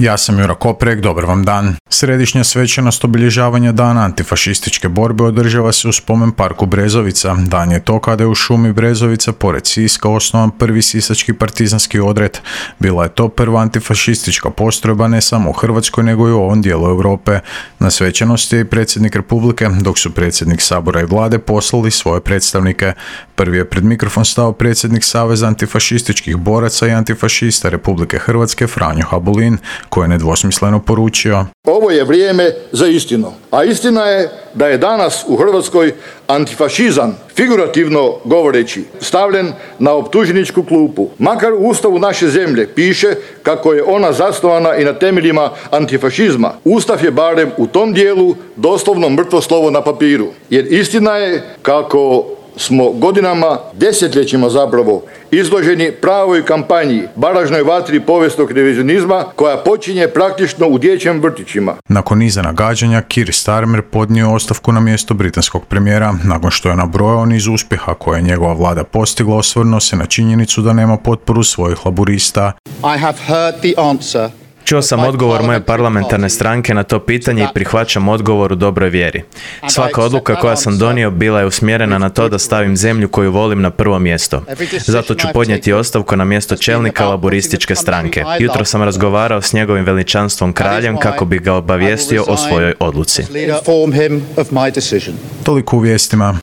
Ja sam Jura Koprek, dobar vam dan. Središnja svečanost obilježavanja dana antifašističke borbe održava se u spomen parku Brezovica. Dan je to kada je u šumi Brezovica pored Siska osnovan prvi sisački partizanski odred. Bila je to prva antifašistička postrojba ne samo u Hrvatskoj nego i u ovom dijelu Europe. Na svečanosti je i predsjednik Republike, dok su predsjednik Sabora i vlade poslali svoje predstavnike. Prvi je pred mikrofon stao predsjednik Saveza antifašističkih boraca i antifašista Republike Hrvatske Franjo Habulin, koji je nedvosmisleno poručio: Ovo je vrijeme za istinu, a istina je da je danas u Hrvatskoj antifašizam, figurativno govoreći, stavljen na optuženičku klupu. Makar u Ustavu naše zemlje piše kako je ona zasnovana i na temeljima antifašizma, Ustav je barem u tom dijelu doslovno mrtvo slovo na papiru. Jer istina je kako smo godinama, desetljećima zapravo, izloženi pravoj kampanji, baražnoj vatri povijesnog revizionizma koja počinje praktično u dječjim vrtićima. Nakon niza nagađanja, Keir Starmer podnio ostavku na mjesto britanskog premijera. Nakon što je nabrojao niz uspjeha koje je njegova vlada postigla, osvrnuo se na činjenicu da nema potporu svojih laburista. I have heard the answer. Čuo sam odgovor moje parlamentarne stranke na to pitanje i prihvaćam odgovor u dobroj vjeri. Svaka odluka koja sam donio bila je usmjerena na to da stavim zemlju koju volim na prvo mjesto. Zato ću podnijeti ostavku na mjesto čelnika laburističke stranke. Jutro sam razgovarao s njegovim veličanstvom kraljem kako bi ga obavijestio o svojoj odluci. Toliko u vijestima.